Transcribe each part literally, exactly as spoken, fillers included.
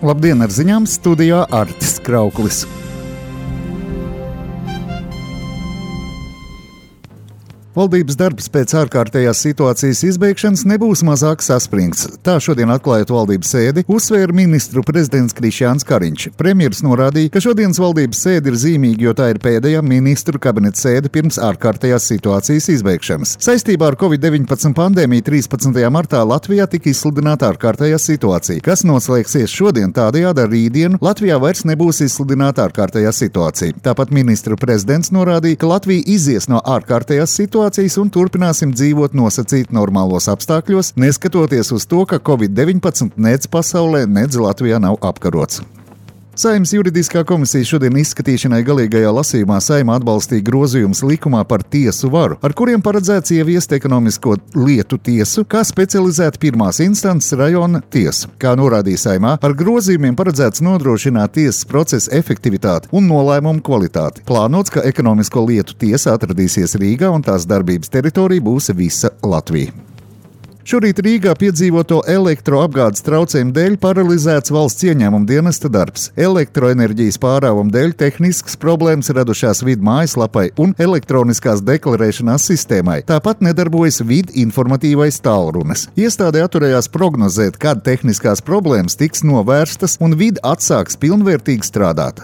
Labdien, ar ziņām studijā Artis Krauklis. Valdības darbs pēc ārkārtējās situācijas izbeigšanas nebūs mazāk saspringts. Tā šodien atklājot valdības sēdi, uzsvēra ministru prezidents Krišjāns Kariņš. Premjeras norādīja, ka šodienas valdības sēde ir zīmīga, jo tā ir pēdējā ministru kabineta sēde pirms ārkārtējās situācijas izbeigšanas. Saistībā ar covid deviņpadsmit pandēmiju trīspadsmitajā martā Latvijā tika izsludināta ārkārtējā situācija, kas noslēgsies šodien. Tādējādi ar rītdienu Latvijā vairs nebūs izsludināta ārkārtējā situācija. Tāpat ministru prezidents norādīja, ka Latvija izies no ārkārtējās situācijas un turpināsim dzīvot nosacīt normālos apstākļos, neskatoties uz to, ka covid deviņpadsmit nec pasaulē, nec Latvijā nav apkarots. Saeimas juridiskā komisija šodien izskatīšanai galīgajā lasījumā Saeima atbalstīja grozījumus likumā par tiesu varu, ar kuriem paredzēts ieviest ekonomisko lietu tiesu kā specializētu pirmās instances rajona tiesu. Kā norādīja Saeimā, ar grozījumiem paredzēts nodrošināt tiesas procesa efektivitāti un nolēmumu kvalitāti. Plānots, ka ekonomisko lietu tiesa atradīsies Rīgā un tās darbības teritorija būs visa Latvija. Šorīt Rīgā piedzīvoto elektroapgādes traucējumu dēļ paralizēts valsts ieņēmuma dienesta darbs. Elektroenerģijas pārāvuma dēļ tehniskas problēmas radušās vidu mājaslapai un elektroniskās deklarēšanās sistēmai. Tāpat nedarbojas vidu informatīvais tālrunis. Iestāde atturējās prognozēt, kad tehniskās problēmas tiks novērstas un vidu atsāks pilnvērtīgi strādāt.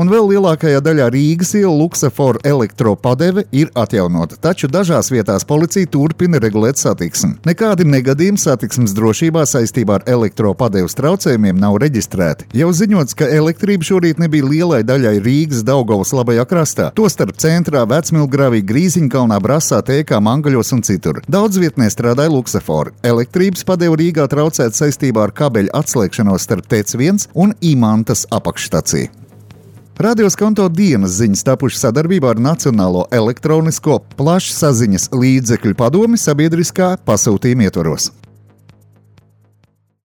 Un vēl lielākajā daļā Rīgas ielu Luksaforu elektropadeve ir atjaunota, taču dažās vietās policija turpina regulēt satiksmi. Nekādi negadījumi satiksmes drošībā saistībā ar elektropadeves traucējumiem nav reģistrēti. Jau ziņots, ka elektrība šorīt nebija lielai daļai Rīgas Daugavas labajā krastā, tostarp centrā, Vecmilgravī, Grīziņkalnā, Brasā, Tēkā, Mangaļos un citur. Daudz vietnē strādāja Luksaforu. Elektrības padeve Rīgā traucēt saistībā ar kabeļu atslēgšanos starp T E C viens un Imantas apakšstaciju. Radio Skonto dienas ziņas tapušas sadarbībā ar Nacionālo elektronisko plašsaziņas līdzekļu padomi sabiedriskā pasūtījuma ietvaros.